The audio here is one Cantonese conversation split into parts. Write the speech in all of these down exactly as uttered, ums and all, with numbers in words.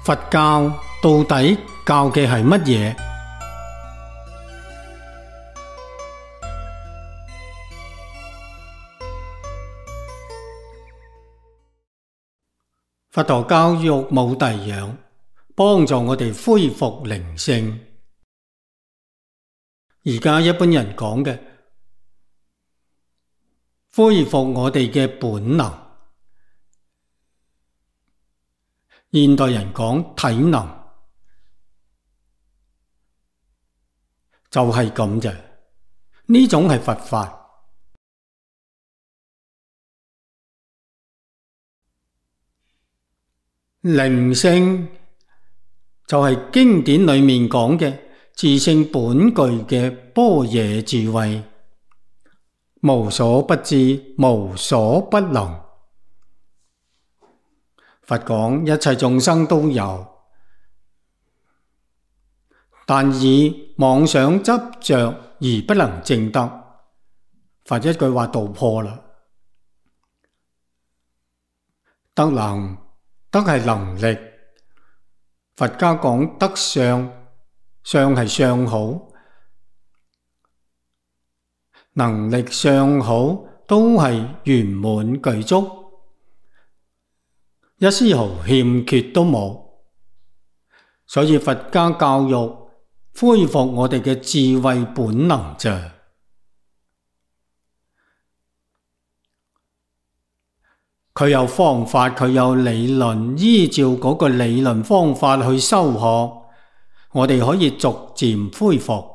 佛教到底教嘅係乜嘢？佛陀教育冇第樣，幫助我哋恢復靈性。而家一般人講嘅恢復我哋嘅本能，現代人講體能，就係咁啫。呢種係佛法。靈性就係經典裏面講嘅自性本具嘅般若智慧，無所不知，無所不能。佛講一切眾生都有，但以妄想執着而不能證得。佛一句話道破啦。德能，德係能力。佛家講德相，相係相好，能力相好都係圓滿具足，一絲毫欠缺都冇。所以佛家教育恢復我哋嘅智慧本能啫。佢有方法，佢有理論，依照嗰個理論方法去修學，我哋可以逐漸恢復。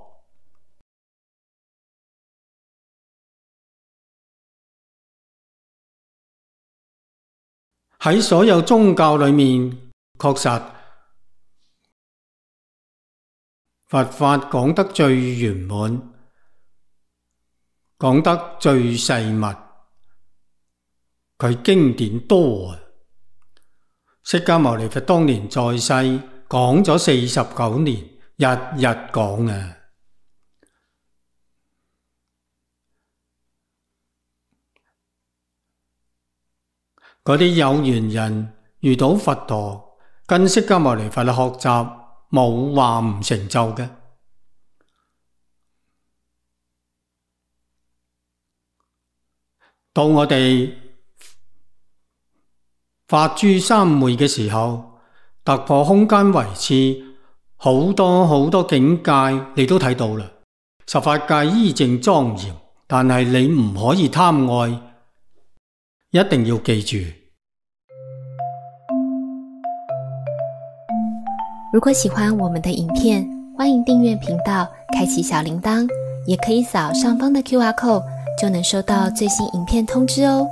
喺所有宗教裏面，確實佛法講得最圓滿，講得最細密。佢經典多啊！釋迦牟尼佛當年在世講咗四十九年，日日講啊！嗰啲有緣人遇到佛陀，跟釋迦牟尼佛學習，冇話唔成就嘅。到我哋法珠三昧嘅時候，突破空間維次，好多好多境界你都睇到啦。十法界依正莊嚴，但係你唔可以貪愛，一定要記住。如果喜歡我們的影片，歡迎訂閱頻道，開啟小鈴鐺，也可以掃上方的 Q R code，就能收到最新影片通知哦。